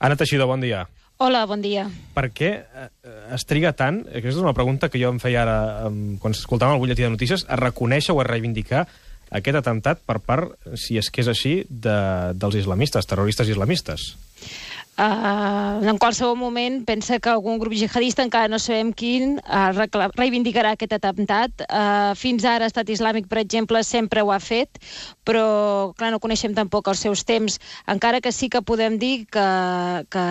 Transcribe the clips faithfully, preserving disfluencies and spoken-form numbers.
Anna Teixidor, bon dia. Hola, bon dia. Per què es triga tant, aquesta és una pregunta que jo em feia ara quan escoltàvem el butlletí de notícies, a reconèixer o a reivindicar aquest atemptat per part, si és que és així, de, dels islamistes, terroristes islamistes? Uh, en qualsevol moment pensa que algun grup jihadista, encara no sabem quin, uh, reivindicarà aquest atemptat. Uh, fins ara Estat Islàmic, per exemple, sempre ho ha fet, però clar, no coneixem tampoc els seus temps, encara que sí que podem dir que, que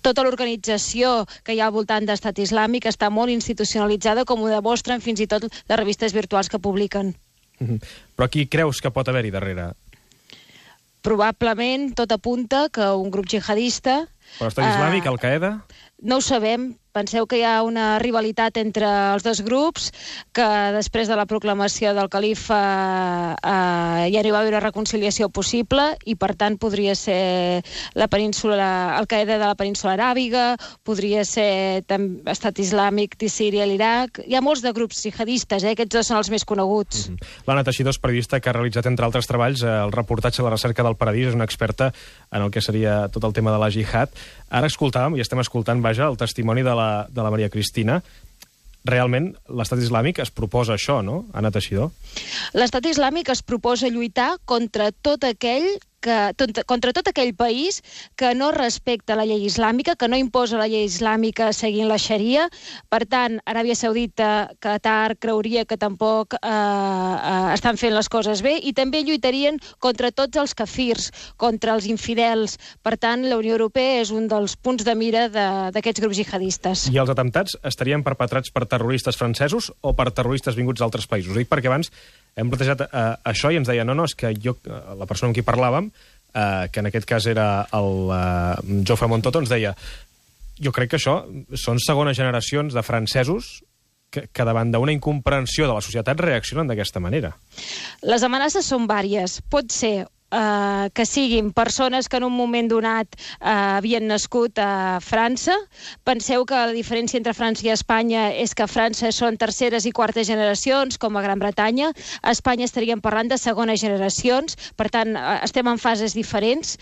tota l'organització que hi ha al voltant d'Estat Islàmic està molt institucionalitzada, com ho demostren fins i tot les revistes virtuals que publiquen. Mm-hmm. Però qui creus que pot haver-hi darrere? Probablement tot apunta que un grup jihadista... Però Estat Islàmic, uh, Al-Qaeda? No ho sabem. Penseu que hi ha una rivalitat entre els dos grups, que després de la proclamació del califa eh, ja no hi va haver una reconciliació possible i, per tant, podria ser la península, Al-Qaeda de la península aràbiga, podria ser Estat Islàmic de Síria i l'Iraq. Hi ha molts de grups jihadistes, eh? Aquests dos són els més coneguts. Mm-hmm. L'Anna Teixidor és periodista que ha realitzat, entre altres treballs, el reportatge La recerca del paradís, és una experta en el que seria tot el tema de la jihad. Ara escoltàvem, i estem escoltant, vaja, el testimoni de la, de la Maria Cristina. Realment, l'Estat Islàmic es proposa això, no, Anna Teixidor? L'Estat Islàmic es proposa lluitar contra tot aquell que, contra tot aquell país que no respecta la llei islàmica, que no imposa la llei islàmica seguint la xaria. Per tant, Aràbia Saudita, Qatar, creuria que tampoc eh, eh, estan fent les coses bé, i també lluitarien contra tots els kafirs, contra els infidels. Per tant, la Unió Europea és un dels punts de mira d'aquests grups jihadistes. I els atemptats estarien perpetrats per terroristes francesos o per terroristes vinguts d'altres països? Ho dic perquè abans hem plantejat uh, això i ens deia, no, no, és que jo, uh, la persona amb qui parlàvem, uh, que en aquest cas era el uh, Jofre Montoto, ens deia, jo crec que això són segones generacions de francesos que, que davant d'una incomprensió de la societat reaccionen d'aquesta manera. Les amenaces són vàries. Pot ser Uh, que siguin persones que en un moment donat uh, havien nascut a França. Penseu que la diferència entre França i Espanya és que a França són terceres i quartes generacions, com a Gran Bretanya. A Espanya estaríem parlant de segones generacions, per tant, uh, estem en fases diferents.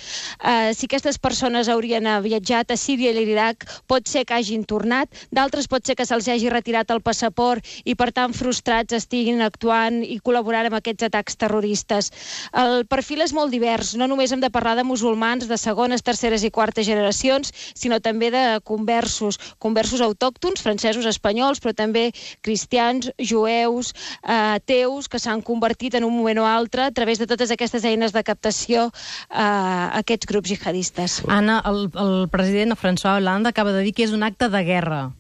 Uh, si aquestes persones haurien viatjat a Síria i l'Iraq, pot ser que hagin tornat, d'altres pot ser que se'ls hagi retirat el passaport i, per tant, frustrats estiguin actuant i col·laborant amb aquests atacs terroristes. El perfil és molt divers. No només hem de parlar de musulmans de segones, terceres i quartes generacions, sinó també de conversos, conversos autòctons, francesos, espanyols, però també cristians, jueus, eh, ateus, que s'han convertit en un moment o altre a través de totes aquestes eines de captació eh, a aquests grups jihadistes. Anna, el, el president François Hollande acaba de dir que és un acte de guerra.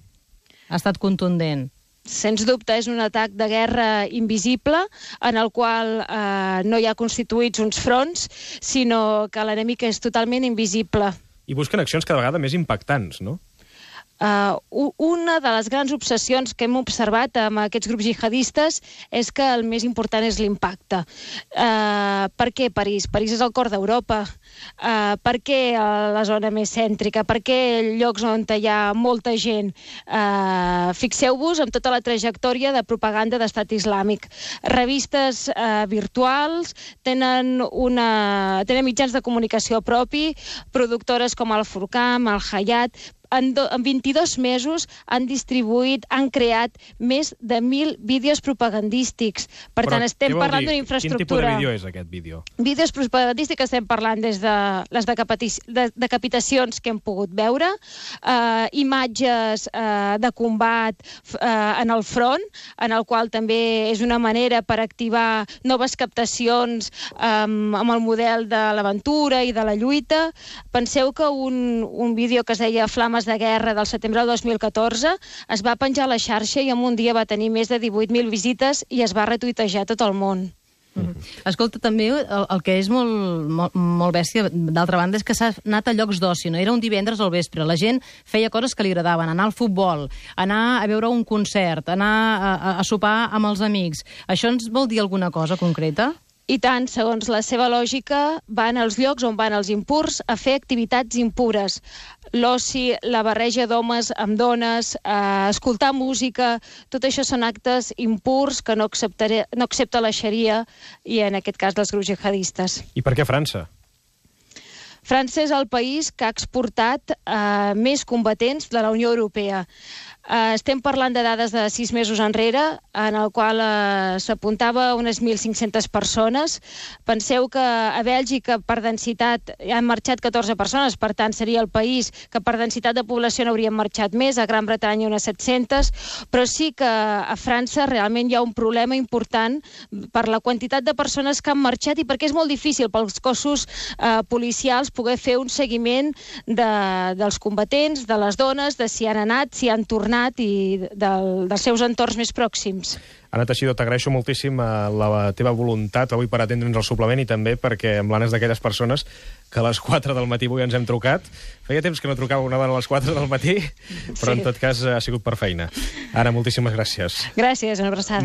Ha estat contundent. Sens dubte, és un atac de guerra invisible en el qual eh, no hi ha constituïts uns fronts, sinó que l'enemic és totalment invisible. I busquen accions cada vegada més impactants, no? Uh, una de les grans obsessions que hem observat amb aquests grups jihadistes és que el més important és l'impacte. Uh, per què París? París és el cor d'Europa. Uh, per què la zona més cèntrica? Per què llocs on hi ha molta gent? Uh, Fixeu-vos en tota la trajectòria de propaganda d'Estat Islàmic. Revistes uh, virtuals, tenen, una, tenen mitjans de comunicació propi, productores com el Furqan, el Hayat. En, do, en vint-i-dos mesos han distribuït, han creat més de mil vídeos propagandístics. Per Però tant, estem parlant d'una Quin infraestructura... tipus de vídeo és aquest vídeo? Vídeos propagandístics estem parlant des de les de decapitacions que hem pogut veure, eh, imatges eh, de combat eh, en el front, en el qual també és una manera per activar noves captacions eh, amb el model de l'aventura i de la lluita. Penseu que un, un vídeo que es deia Flama de guerra del setembre del dos mil catorze es va penjar a la xarxa i en un dia va tenir més de divuit mil visites i es va retuitejar tot el món. Mm-hmm. Escolta, també el, el que és molt, molt, molt bèstia, d'altra banda, és que s'ha anat a llocs d'oci, no? Era un divendres al vespre, la gent feia coses que li agradaven, anar al futbol, anar a veure un concert, anar a, a, a sopar amb els amics. Això ens vol dir alguna cosa concreta? I tant, segons la seva lògica, van als llocs on van els impurs a fer activitats impures. L'oci, la barreja d'homes amb dones, eh, escoltar música, tot això són actes impurs que no, no accepta la xaria i, en aquest cas, dels grups jihadistes. I per què França? França és el país que ha exportat eh, més combatents de la Unió Europea. Uh, estem parlant de dades de sis mesos enrere, en el qual uh, s'apuntava unes mil cinc-centes persones. Penseu que a Bèlgica, per densitat, han marxat catorze persones, per tant, seria el país que per densitat de població n'haurien marxat més, a Gran Bretanya unes set-centes, però sí que a França realment hi ha un problema important per la quantitat de persones que han marxat i perquè és molt difícil pels cossos uh, policials poder fer un seguiment de, dels combatents, de les dones, de si han anat, si han tornat, i del, dels seus entorns més pròxims. Anna Teixidor, t'agraeixo moltíssim la, la teva voluntat avui per atendre'ns al suplement i també perquè amb l'Anna és d'aquelles persones que a les quatre del matí avui ens hem trucat. Feia temps que no trucava una dona a les quatre del matí, però sí. En tot cas ha sigut per feina. Anna, moltíssimes gràcies. Gràcies, una abraçada.